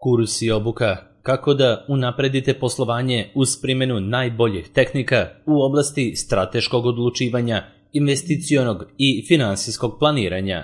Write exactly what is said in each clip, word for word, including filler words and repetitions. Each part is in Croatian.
Kurs i obuka kako da unapredite poslovanje uz primjenu najboljih tehnika u oblasti strateškog odlučivanja, investicionog i finansijskog planiranja.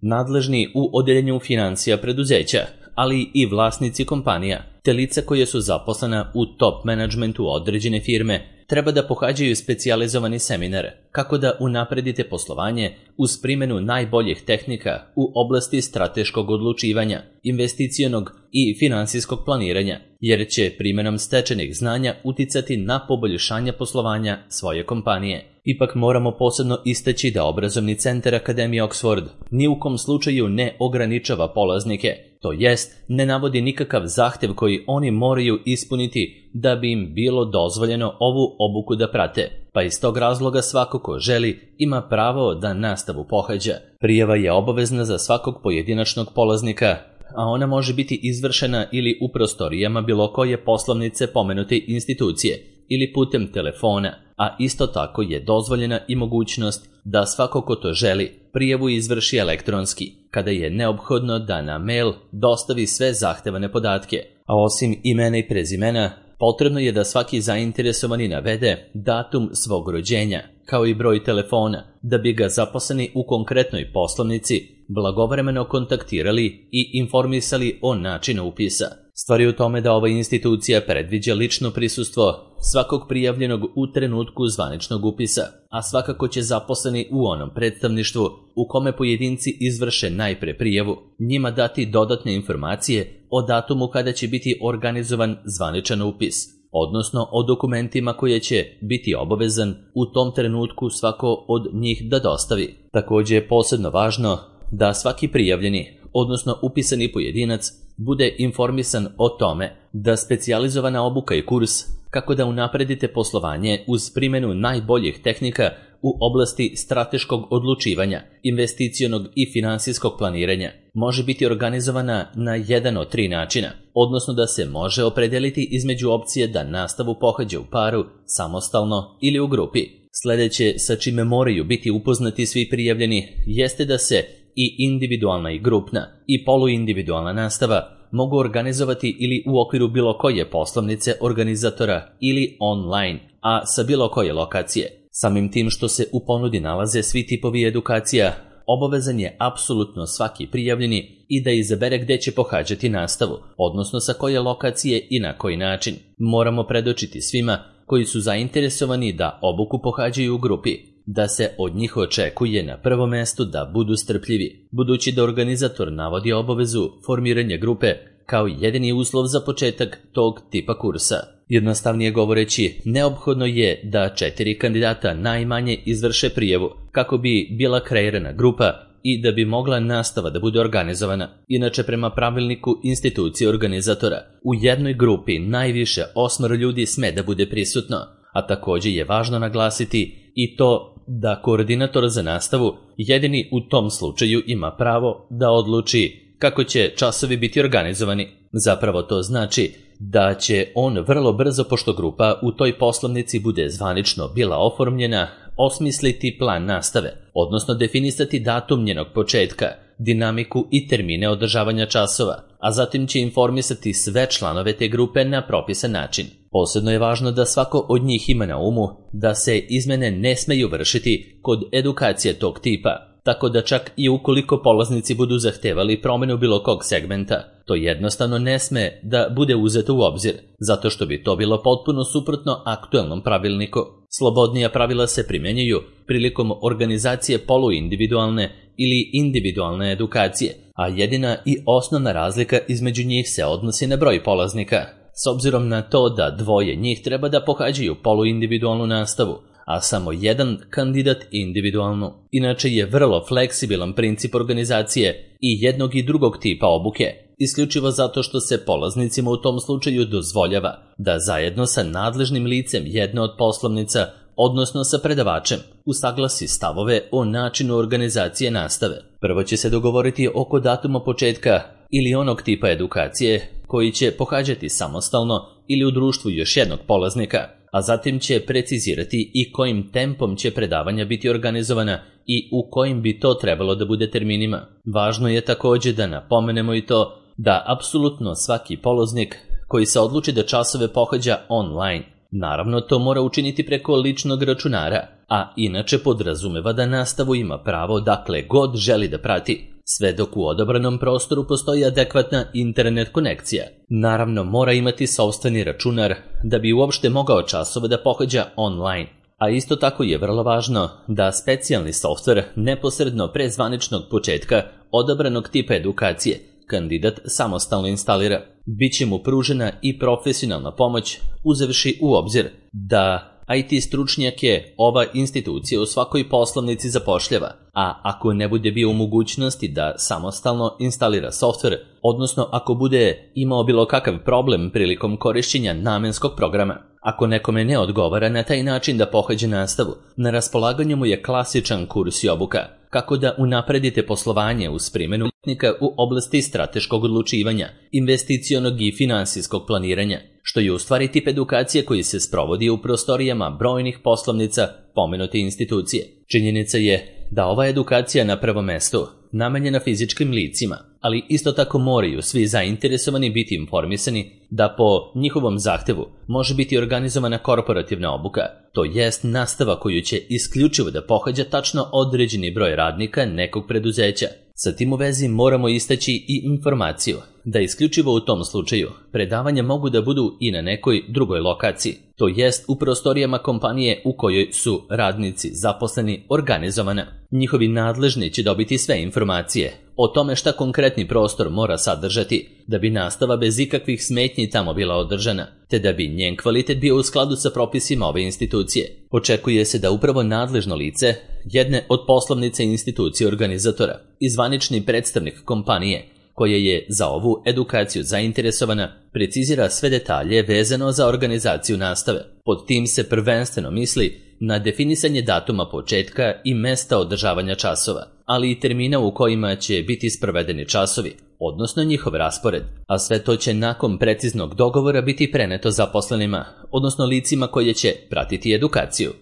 Nadležni u odeljenju financija preduzeća, ali i vlasnici kompanija, te lica koje su zaposlena u top menadžmentu određene firme, treba da pohađaju specijalizovani seminar kako da unapredite poslovanje uz primjenu najboljih tehnika u oblasti strateškog odlučivanja, investicionog i finansijskog planiranja, jer će primjenom stečenih znanja uticati na poboljšanje poslovanja svoje kompanije. Ipak moramo posebno istaći da obrazovni centar Akademije Oxford ni u kom slučaju ne ograničava polaznike, to jest ne navodi nikakav zahtev koji oni moraju ispuniti da bi im bilo dozvoljeno ovu obuku da prate, pa iz tog razloga svako ko želi ima pravo da nastavu pohađa. Prijava je obavezna za svakog pojedinačnog polaznika, a ona može biti izvršena ili u prostorijama bilo koje poslovnice pomenute institucije ili putem telefona, a isto tako je dozvoljena i mogućnost da svako ko to želi prijavu izvrši elektronski, kada je neophodno da na mail dostavi sve zahtevane podatke, a osim imena i prezimena, potrebno je da svaki zainteresovani navede datum svog rođenja, kao i broj telefona, da bi ga zaposleni u konkretnoj poslovnici blagovremeno kontaktirali i informisali o načinu upisa. Stvar je u tome da ova institucija predviđa lično prisustvo svakog prijavljenog u trenutku zvaničnog upisa, a svakako će zaposleni u onom predstavništvu u kome pojedinci izvrše najpre prijavu njima dati dodatne informacije o datumu kada će biti organizovan zvaničan upis, odnosno o dokumentima koje će biti obavezan u tom trenutku svako od njih da dostavi. Također je posebno važno da svaki prijavljeni, odnosno upisani pojedinac, bude informisan o tome da specijalizovana obuka i kurs kako da unapredite poslovanje uz primjenu najboljih tehnika u oblasti strateškog odlučivanja, investicionog i finansijskog planiranja može biti organizovana na jedan od tri načina, odnosno da se može opredeliti između opcije da nastavu pohađa u paru, samostalno ili u grupi. Sljedeće sa čime moraju biti upoznati svi prijavljeni jeste da se i individualna i grupna i poluindividualna nastava mogu organizovati ili u okviru bilo koje poslovnice organizatora ili online, a sa bilo koje lokacije. Samim tim što se u ponudi nalaze svi tipovi edukacija, obavezan je apsolutno svaki prijavljeni i da izabere gde će pohađati nastavu, odnosno sa koje lokacije i na koji način. Moramo predočiti svima koji su zainteresovani da obuku pohađaju u grupi, da se od njih očekuje na prvom mestu da budu strpljivi, budući da organizator navodi obavezu formiranja grupe kao jedini uslov za početak tog tipa kursa. Jednostavnije govoreći, neophodno je da četiri kandidata najmanje izvrše prijavu kako bi bila kreirana grupa i da bi mogla nastava da bude organizovana. Inače, prema pravilniku institucije organizatora, u jednoj grupi najviše osmoro ljudi sme da bude prisutno, a također je važno naglasiti i to da koordinator za nastavu jedini u tom slučaju ima pravo da odluči kako će časovi biti organizovani. Zapravo to znači da će on vrlo brzo, pošto grupa u toj poslovnici bude zvanično bila oformljena, osmisliti plan nastave, odnosno definisati datum njenog početka, dinamiku i termine održavanja časova, a zatim će informisati sve članove te grupe na propisan način. Posebno je važno da svako od njih ima na umu da se izmene ne smeju vršiti kod edukacije tog tipa, tako da čak i ukoliko polaznici budu zahtevali promjenu bilo kog segmenta, to jednostavno ne sme da bude uzeto u obzir, zato što bi to bilo potpuno suprotno aktuelnom pravilniku. Slobodnija pravila se primjenjuju prilikom organizacije poluindividualne ili individualne edukacije, a jedina i osnovna razlika između njih se odnosi na broj polaznika, s obzirom na to da dvoje njih treba da pohađaju poluindividualnu nastavu, a samo jedan kandidat individualnu. Inače je vrlo fleksibilan princip organizacije i jednog i drugog tipa obuke, isključivo zato što se polaznicima u tom slučaju dozvoljava da zajedno sa nadležnim licem jedne od poslovnica, odnosno sa predavačem, usaglasi stavove o načinu organizacije nastave. Prvo će se dogovoriti oko datuma početka ili onog tipa edukacije koji će pohađati samostalno ili u društvu još jednog polaznika, a zatim će precizirati i kojim tempom će predavanja biti organizovana i u kojim bi to trebalo da bude terminima. Važno je također da napomenemo i to da apsolutno svaki polaznik koji se odluči da časove pohađa online, naravno to mora učiniti preko ličnog računara, a inače podrazumeva da nastavu ima pravo dakle god želi da prati, sve dok u odabranom prostoru postoji adekvatna internet konekcija. Naravno mora imati sopstveni računar da bi uopšte mogao časove da pohađa online. A isto tako je vrlo važno da specijalni softver neposredno pre zvaničnog početka odabranog tipa edukacije kandidat samostalno instalira. Biće mu pružena i profesionalna pomoć uzevši u obzir da I T stručnjake ova institucija u svakoj poslovnici zapošljava, a ako ne bude bio u mogućnosti da samostalno instalira softver, odnosno ako bude imao bilo kakav problem prilikom korišćenja namenskog programa, ako nekome ne odgovara na taj način da pohađa nastavu, na raspolaganju mu je klasičan kurs i obuka, kako da unapredite poslovanje uz primjenu tehnika u oblasti strateškog odlučivanja, investicionog i finansijskog planiranja, što je u stvari tip edukacije koji se sprovodi u prostorijama brojnih poslovnica pomenute institucije. Činjenica je da ova edukacija na prvom mestu namenjena fizičkim licima, ali isto tako moraju svi zainteresovani biti informisani da po njihovom zahtevu može biti organizovana korporativna obuka, to jest nastava koju će isključivo da pohađa tačno određeni broj radnika nekog preduzeća. Sa tim u vezi moramo istaći i informaciju da isključivo u tom slučaju predavanja mogu da budu i na nekoj drugoj lokaciji, to jest u prostorijama kompanije u kojoj su radnici zaposleni organizovana. Njihovi nadležni će dobiti sve informacije o tome šta konkretni prostor mora sadržati da bi nastava bez ikakvih smetnji tamo bila održana, te da bi njen kvalitet bio u skladu sa propisima ove institucije. Očekuje se da upravo nadležno lice jedne od poslovnice institucije organizatora i zvanični predstavnik kompanije koja je za ovu edukaciju zainteresovana precizira sve detalje vezano za organizaciju nastave. Pod tim se prvenstveno misli na definisanje datuma početka i mesta održavanja časova, ali i termina u kojima će biti sprovedeni časovi, odnosno njihov raspored, a sve to će nakon preciznog dogovora biti preneto zaposlenima, odnosno licima koje će pratiti edukaciju.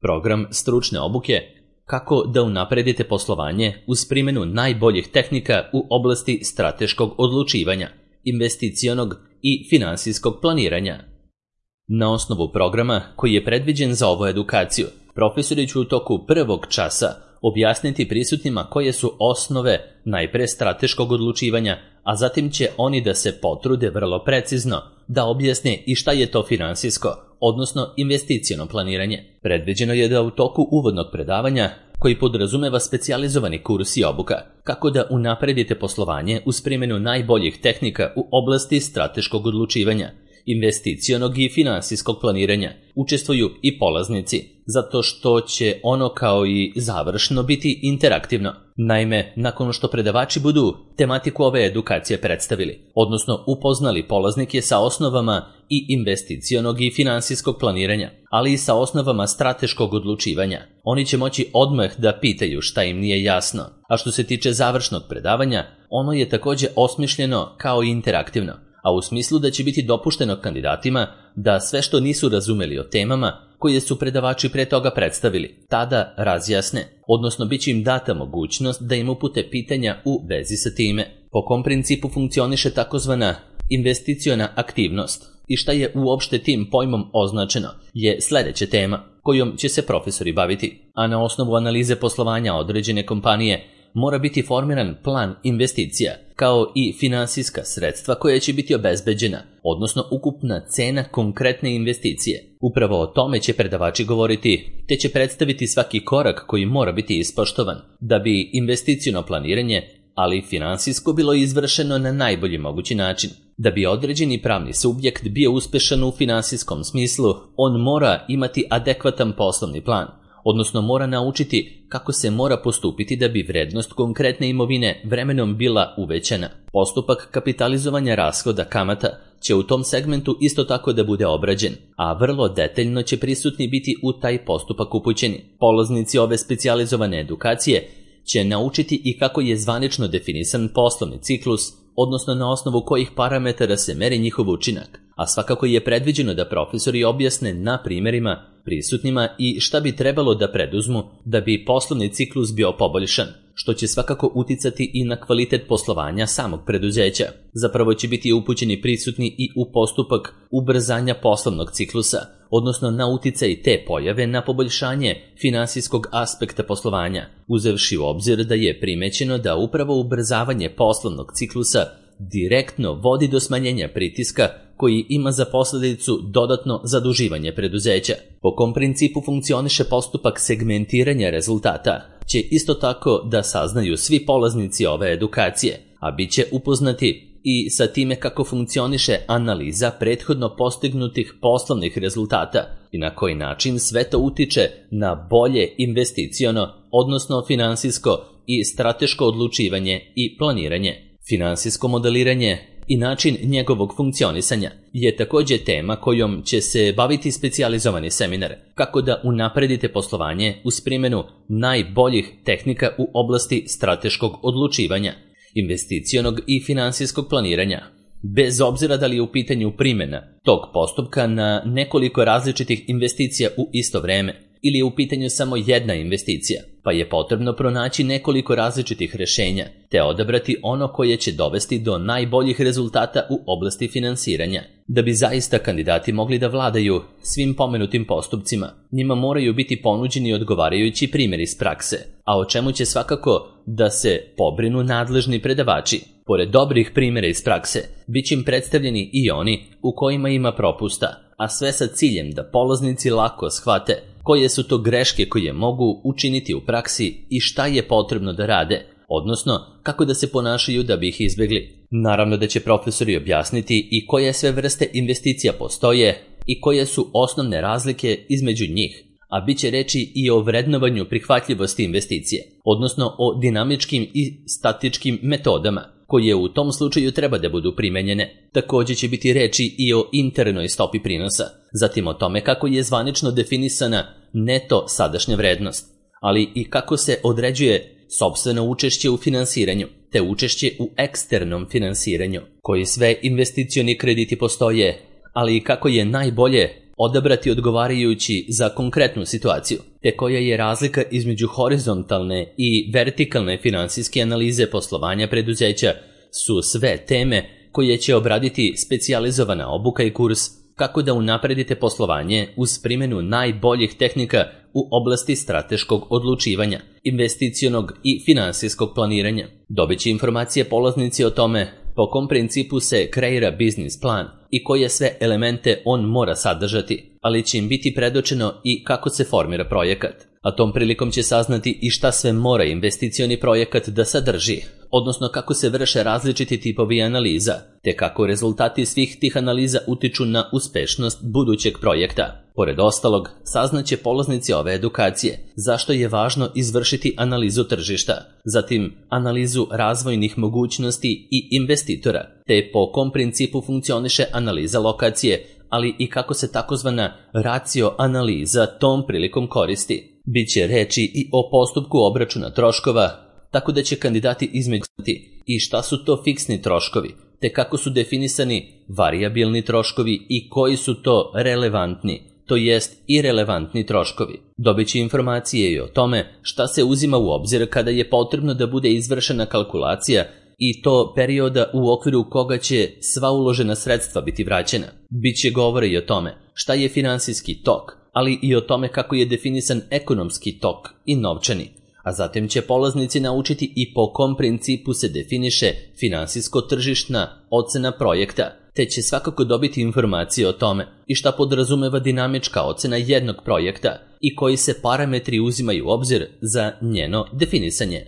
Program stručne obuke kako da unapredite poslovanje uz primjenu najboljih tehnika u oblasti strateškog odlučivanja, investicionog i finansijskog planiranja. Na osnovu programa koji je predviđen za ovu edukaciju, profesori će u toku prvog časa objasniti prisutnima koje su osnove najpre strateškog odlučivanja, a zatim će oni da se potrude vrlo precizno da objasne i šta je to finansijsko, odnosno investiciono planiranje. Predviđeno je da u toku uvodnog predavanja, koji podrazumeva specijalizovani kurs i obuka, kako da unapredite poslovanje uz primjenu najboljih tehnika u oblasti strateškog odlučivanja, investicionog i finansijskog planiranja, učestvuju i polaznici, zato što će ono kao i završno biti interaktivno. Naime, nakon što predavači budu tematiku ove edukacije predstavili, odnosno upoznali polaznike sa osnovama i investicionog i finansijskog planiranja, ali i sa osnovama strateškog odlučivanja, oni će moći odmah da pitaju šta im nije jasno. A što se tiče završnog predavanja, ono je također osmišljeno kao i interaktivno, a u smislu da će biti dopušteno kandidatima da sve što nisu razumeli o temama koje su predavači pre toga predstavili, tada razjasne, odnosno bit će im data mogućnost da im upute pitanja u vezi sa time. Po kom principu funkcioniše takozvana investiciona aktivnost i šta je uopšte tim pojmom označeno je sljedeća tema kojom će se profesori baviti, a na osnovu analize poslovanja određene kompanije mora biti formiran plan investicija, kao i finansijska sredstva koja će biti obezbeđena, odnosno ukupna cena konkretne investicije. Upravo o tome će predavači govoriti, te će predstaviti svaki korak koji mora biti ispoštovan, da bi investiciono planiranje, ali i finansijsko bilo izvršeno na najbolji mogući način. Da bi određeni pravni subjekt bio uspešan u finansijskom smislu, on mora imati adekvatan poslovni plan, odnosno mora naučiti kako se mora postupiti da bi vrednost konkretne imovine vremenom bila uvećana. Postupak kapitalizovanja rashoda kamata će u tom segmentu isto tako da bude obrađen, a vrlo detaljno će prisutni biti u taj postupak upućeni. Polaznici ove specijalizovane edukacije će naučiti i kako je zvanično definisan poslovni ciklus, odnosno na osnovu kojih parametara se meri njihov učinak, a svakako je predviđeno da profesori objasne na primjerima prisutnima i šta bi trebalo da preduzmu da bi poslovni ciklus bio poboljšan, što će svakako uticati i na kvalitet poslovanja samog preduzeća. Zapravo će biti upućeni prisutni i u postupak ubrzanja poslovnog ciklusa, odnosno na uticaj te pojave na poboljšanje finansijskog aspekta poslovanja, uzevši u obzir da je primećeno da upravo ubrzavanje poslovnog ciklusa direktno vodi do smanjenja pritiska koji ima za posljedicu dodatno zaduživanje preduzeća. Po kom principu funkcioniše postupak segmentiranja rezultata će isto tako da saznaju svi polaznici ove edukacije, a bit će upoznati i sa time kako funkcioniše analiza prethodno postignutih poslovnih rezultata i na koji način sve to utiče na bolje investiciono, odnosno finansijsko i strateško odlučivanje i planiranje. Finansijsko modeliranje i način njegovog funkcionisanja je također tema kojom će se baviti specijalizovani seminar, kako da unapredite poslovanje uz primjenu najboljih tehnika u oblasti strateškog odlučivanja, investicionog i finansijskog planiranja, bez obzira da li je u pitanju primjena tog postupka na nekoliko različitih investicija u isto vrijeme ili je u pitanju samo jedna investicija, pa je potrebno pronaći nekoliko različitih rješenja te odabrati ono koje će dovesti do najboljih rezultata u oblasti finansiranja. Da bi zaista kandidati mogli da vladaju svim pomenutim postupcima, njima moraju biti ponuđeni odgovarajući primjeri iz prakse, a o čemu će svakako da se pobrinu nadležni predavači. Pored dobrih primjera iz prakse, bit će im predstavljeni i oni u kojima ima propusta, a sve sa ciljem da polaznici lako shvate koje su to greške koje mogu učiniti u praksi i šta je potrebno da rade, odnosno kako da se ponašaju da bi ih izbjegli. Naravno da će profesori objasniti i koje sve vrste investicija postoje i koje su osnovne razlike između njih, a bit će reći i o vrednovanju prihvatljivosti investicije, odnosno o dinamičkim i statičkim metodama koje u tom slučaju treba da budu primenjene. Također će biti reči i o internoj stopi prinosa, zatim o tome kako je zvanično definisana neto sadašnja vrednost, ali i kako se određuje sopstveno učešće u finansiranju, te učešće u eksternom finansiranju, koji sve investicioni krediti postoje, ali i kako je najbolje odabrati odgovarajući za konkretnu situaciju, te koja je razlika između horizontalne i vertikalne finansijske analize poslovanja preduzeća, su sve teme koje će obraditi specijalizovana obuka i kurs kako da unapredite poslovanje uz primjenu najboljih tehnika u oblasti strateškog odlučivanja, investicionog i finansijskog planiranja. Dobit će informacije polaznici o tome po kom principu se kreira biznis plan i koje sve elemente on mora sadržati, ali će im biti predočeno i kako se formira projekat. A tom prilikom će saznati i šta sve mora investicioni projekat da sadrži, odnosno kako se vrše različiti tipovi analiza, te kako rezultati svih tih analiza utiču na uspešnost budućeg projekta. Pored ostalog, saznaće polaznici ove edukacije zašto je važno izvršiti analizu tržišta, zatim analizu razvojnih mogućnosti i investitora, te po kom principu funkcioniše analiza lokacije, ali i kako se takozvana racio analiza tom prilikom koristi. Biće reči i o postupku obračuna troškova, tako da će kandidati izmeđuti i šta su to fiksni troškovi, te kako su definisani varijabilni troškovi i koji su to relevantni, to jest irelevantni troškovi. Dobit će informacije i o tome šta se uzima u obzir kada je potrebno da bude izvršena kalkulacija i to perioda u okviru koga će sva uložena sredstva biti vraćena. Biće govore i o tome šta je finansijski tok, ali i o tome kako je definisan ekonomski tok i novčani, a zatim će polaznici naučiti i po kom principu se definiše finansijsko-tržišna ocena projekta, te će svakako dobiti informacije o tome i šta podrazumeva dinamička ocena jednog projekta i koji se parametri uzimaju u obzir za njeno definisanje.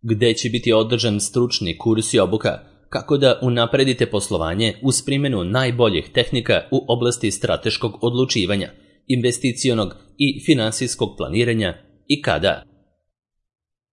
Gde će biti održan stručni kurs i obuka kako da unapredite poslovanje uz primjenu najboljih tehnika u oblasti strateškog odlučivanja, investicionog i finansijskog planiranja i kada.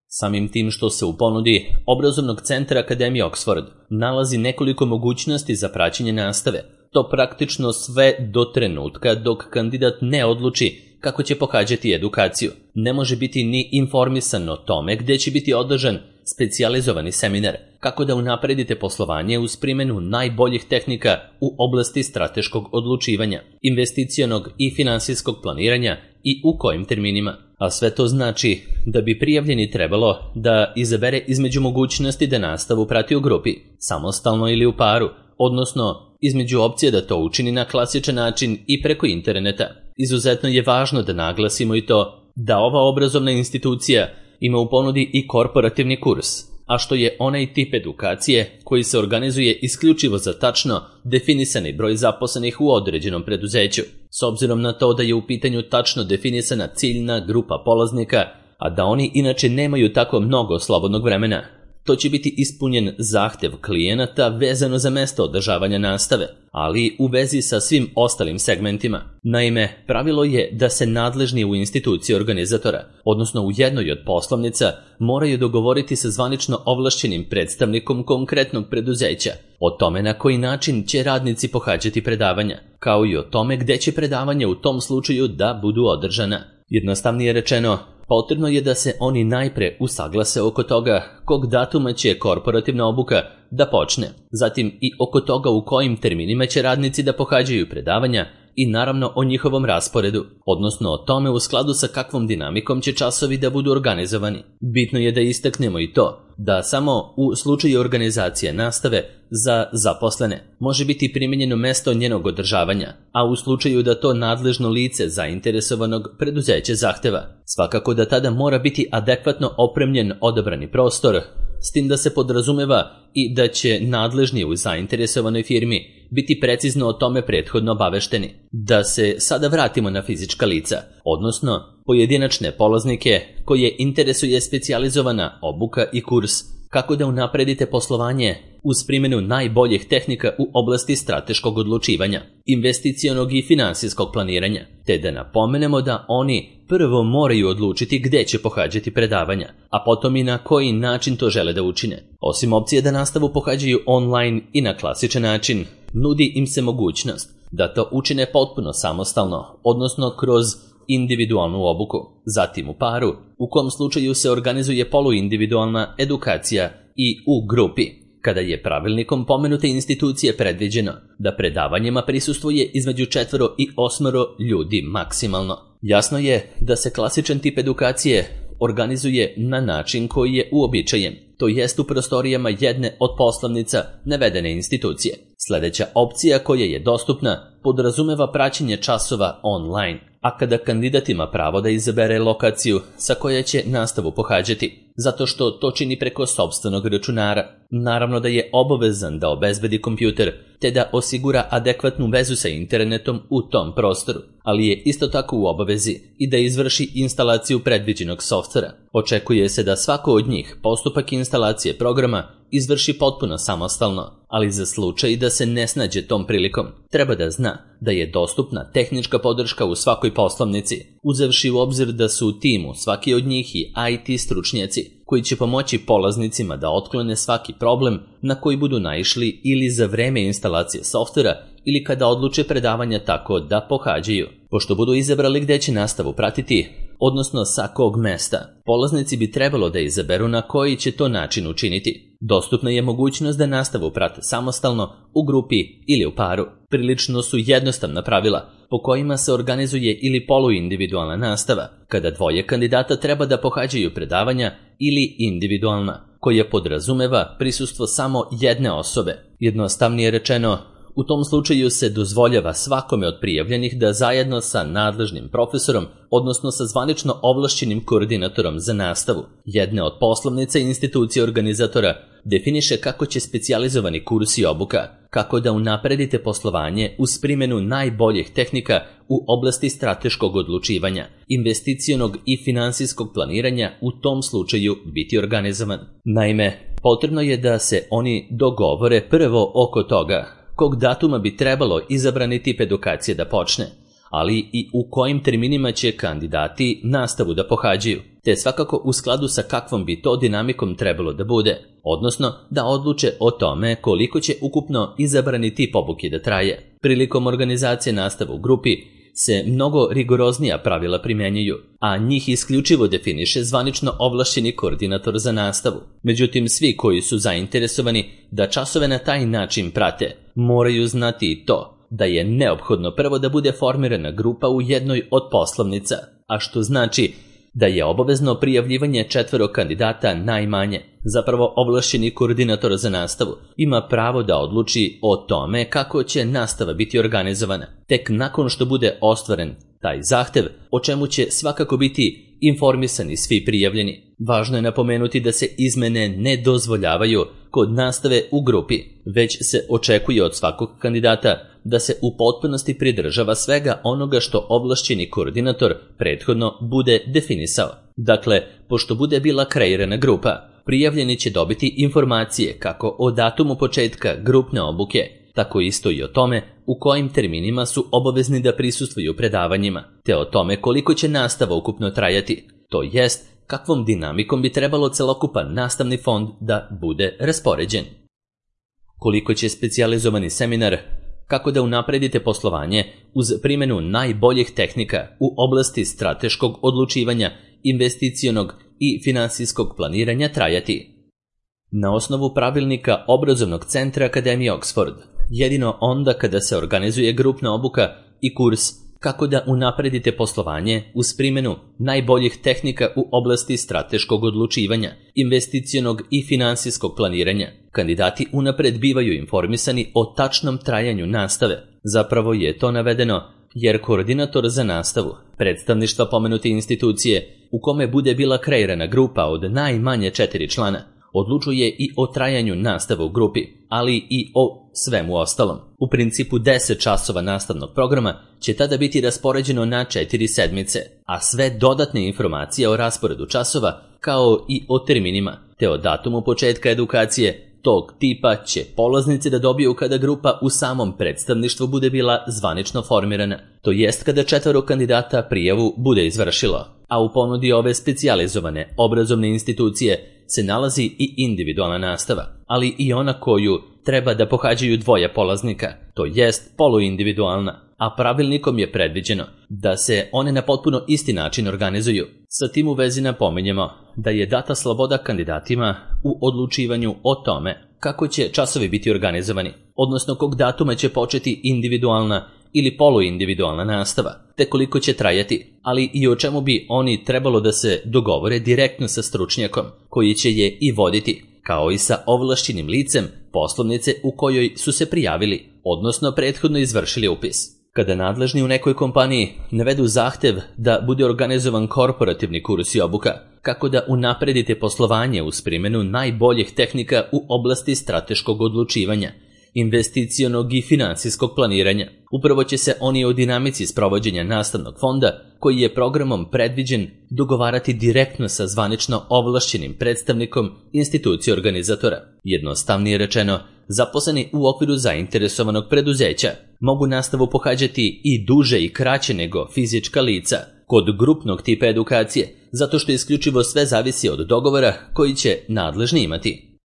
Samim tim što se u ponudi obrazovnog centra Akademije Oxford nalazi nekoliko mogućnosti za praćenje nastave, to praktično sve do trenutka dok kandidat ne odluči kako će pohađati edukaciju. Ne može biti ni informisan o tome gdje će biti održan specijalizovani seminar kako da unapredite poslovanje uz primjenu najboljih tehnika u oblasti strateškog odlučivanja, investicionog i finansijskog planiranja i u kojim terminima. A sve to znači da bi prijavljeni trebalo da izabere između mogućnosti da nastavu prati u grupi, samostalno ili u paru, odnosno između opcije da to učini na klasičan način i preko interneta. Izuzetno je važno da naglasimo i to da ova obrazovna institucija ima u ponudi i korporativni kurs, a što je onaj tip edukacije koji se organizuje isključivo za tačno definisani broj zaposlenih u određenom preduzeću, s obzirom na to da je u pitanju tačno definisana ciljna grupa polaznika, a da oni inače nemaju tako mnogo slobodnog vremena. To će biti ispunjen zahtev klijenata vezano za mesto održavanja nastave, ali u vezi sa svim ostalim segmentima. Naime, pravilo je da se nadležni u instituciji organizatora, odnosno u jednoj od poslovnica, moraju dogovoriti sa zvanično ovlašćenim predstavnikom konkretnog preduzeća o tome na koji način će radnici pohađati predavanja, kao i o tome gde će predavanja u tom slučaju da budu održana. Jednostavnije rečeno, potrebno je da se oni najpre usaglase oko toga kog datuma će korporativna obuka da počne, zatim i oko toga u kojim terminima će radnici da pohađaju predavanja i naravno o njihovom rasporedu, odnosno o tome u skladu sa kakvom dinamikom će časovi da budu organizovani. Bitno je da istaknemo i to da samo u slučaju organizacije nastave za zaposlene može biti primijenjeno mesto njenog održavanja, a u slučaju da to nadležno lice zainteresovanog preduzeće zahteva, svakako da tada mora biti adekvatno opremljen odabrani prostor, s tim da se podrazumeva i da će nadležni u zainteresovanoj firmi biti precizno o tome prethodno obavešteni. Da se sada vratimo na fizička lica, odnosno pojedinačne polaznike koje interesuje specijalizovana obuka i kurs kako da unapredite poslovanje uz primjenu najboljih tehnika u oblasti strateškog odlučivanja, investicionog i finansijskog planiranja, te da napomenemo da oni prvo moraju odlučiti gde će pohađati predavanja, a potom i na koji način to žele da učine. Osim opcije da nastavu pohađaju online i na klasičan način, nudi im se mogućnost da to učine potpuno samostalno, odnosno kroz individualnu obuku, zatim u paru, u kom slučaju se organizuje poluindividualna edukacija i u grupi, kada je pravilnikom pomenute institucije predviđeno da predavanjima prisustvuje između četvoro i osmoro ljudi maksimalno. Jasno je da se klasičan tip edukacije organizuje na način koji je uobičajen, to jest u prostorijama jedne od poslovnica navedene institucije. Sljedeća opcija koja je dostupna podrazumeva praćenje časova online, a kada kandidat ima pravo da izabere lokaciju sa koje će nastavu pohađati, zato što to čini preko sopstvenog računara. Naravno da je obavezan da obezbedi kompjuter, te da osigura adekvatnu vezu sa internetom u tom prostoru, ali je isto tako u obavezi i da izvrši instalaciju predviđenog softvera. Očekuje se da svako od njih postupak instalacije programa izvrši potpuno samostalno, ali za slučaj da se ne snađe tom prilikom, treba da zna da je dostupna tehnička podrška u svakoj poslovnici, uzevši u obzir da su u timu svaki od njih i I T stručnjaci koji će pomoći polaznicima da otklone svaki problem na koji budu naišli ili za vreme instalacije softvera ili kada odluče predavanja tako da pohađaju. Pošto budu izabrali gde će nastavu pratiti, odnosno sa kog mesta, polaznici bi trebalo da izaberu na koji će to način učiniti. Dostupna je mogućnost da nastavu prate samostalno, u grupi ili u paru. Prilično su jednostavna pravila po kojima se organizuje ili poluindividualna nastava, kada dvoje kandidata treba da pohađaju predavanja, ili individualna, koja podrazumeva prisustvo samo jedne osobe. Jednostavnije rečeno, u tom slučaju se dozvoljava svakome od prijavljenih da zajedno sa nadležnim profesorom, odnosno sa zvanično ovlašćenim koordinatorom za nastavu jedne od poslovnica i institucije organizatora, definiše kako će specijalizovani kurs i obuka, kako da unapredite poslovanje uz primjenu najboljih tehnika u oblasti strateškog odlučivanja, investicionog i finansijskog planiranja u tom slučaju biti organizovan. Naime, potrebno je da se oni dogovore prvo oko toga kog datuma bi trebalo izabrani tip edukacije da počne, ali i u kojim terminima će kandidati nastavu da pohađaju, te svakako u skladu sa kakvom bi to dinamikom trebalo da bude, odnosno da odluče o tome koliko će ukupno izabrani tip obuke da traje. Prilikom organizacije nastave u grupi, se mnogo rigoroznija pravila primjenjuju, a njih isključivo definiše zvanično ovlašćeni koordinator za nastavu. Međutim, svi koji su zainteresovani da časove na taj način prate, moraju znati i to da je neophodno prvo da bude formirana grupa u jednoj od poslovnica, a što znači da je obavezno prijavljivanje četvero kandidata najmanje. Zapravo, ovlašćeni koordinator za nastavu ima pravo da odluči o tome kako će nastava biti organizovana. Tek nakon što bude ostvaren taj zahtev, o čemu će svakako biti informisani svi prijavljeni. Važno je napomenuti da se izmene ne dozvoljavaju kod nastave u grupi, već se očekuje od svakog kandidata da se u potpunosti pridržava svega onoga što ovlašćeni koordinator prethodno bude definisao. Dakle, pošto bude bila kreirana grupa, prijavljeni će dobiti informacije kako o datumu početka grupne obuke, tako isto i o tome u kojim terminima su obavezni da prisustvuju predavanjima, te o tome koliko će nastava ukupno trajati, to jest kakvom dinamikom bi trebalo celokupan nastavni fond da bude raspoređen. Koliko će specijalizovani seminar kako da unapredite poslovanje uz primjenu najboljih tehnika u oblasti strateškog odlučivanja, investicionog i finansijskog planiranja trajati. Na osnovu pravilnika Obrazovnog centra Akademije Oxford, jedino onda kada se organizuje grupna obuka i kurs kako da unapredite poslovanje uz primjenu najboljih tehnika u oblasti strateškog odlučivanja, investicionog i finansijskog planiranja, kandidati unapred bivaju informisani o tačnom trajanju nastave. Zapravo je to navedeno jer koordinator za nastavu predstavništva pomenute institucije u kome bude bila kreirana grupa od najmanje četiri člana odlučuje i o trajanju nastave u grupi, ali i o svemu ostalom. U principu deset časova nastavnog programa će tada biti raspoređeno na četiri sedmice, a sve dodatne informacije o rasporedu časova kao i o terminima te o datumu početka edukacije tog tipa će polaznici da dobiju kada grupa u samom predstavništvu bude bila zvanično formirana, to jest kada četvero kandidata prijavu bude izvršilo, a u ponudi ove specijalizovane obrazovne institucije se nalazi i individualna nastava, ali i ona koju treba da pohađaju dvoje polaznika, to jest poluindividualna, a pravilnikom je predviđeno da se one na potpuno isti način organizuju. Sa tim u vezi napominjemo da je data sloboda kandidatima u odlučivanju o tome kako će časovi biti organizovani, odnosno kog datuma će početi individualna ili poluindividualna nastava, te koliko će trajati, ali i o čemu bi oni trebalo da se dogovore direktno sa stručnjakom koji će je i voditi, kao i sa ovlašćenim licem poslovnice u kojoj su se prijavili, odnosno prethodno izvršili upis. Kada nadležni u nekoj kompaniji navedu zahtev da bude organizovan korporativni kurs i obuka, kako da unapredite poslovanje uz primjenu najboljih tehnika u oblasti strateškog odlučivanja, investicionog i finansijskog planiranja, upravo će se oni o dinamici sprovođenja nastavnog fonda, koji je programom predviđen, dogovarati direktno sa zvanično ovlašćenim predstavnikom institucije organizatora. Jednostavnije rečeno, zaposleni u okviru zainteresovanog preduzeća mogu nastavu pohađati i duže i kraće nego fizička lica kod grupnog tipa edukacije, zato što isključivo sve zavisi od dogovora koji će nadležni imati.